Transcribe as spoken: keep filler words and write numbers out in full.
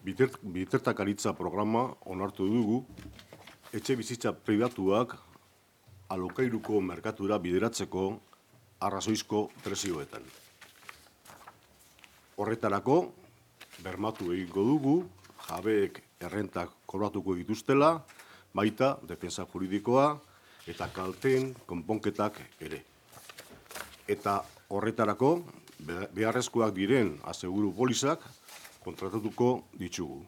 bitartekaritza programa onartu dugu, etxe bizitza pribatuak alokairuko merkatura bideratzeko arrazoizko prezioetan. Horretarako, bermatu egingo dugu, jabeek errentak kobratuko dituztela, baita defensa juridikoa eta kalteen konponketak ere. Eta horretarako, beharrezkoak diren aseguru polizak kontratatuko ditugu.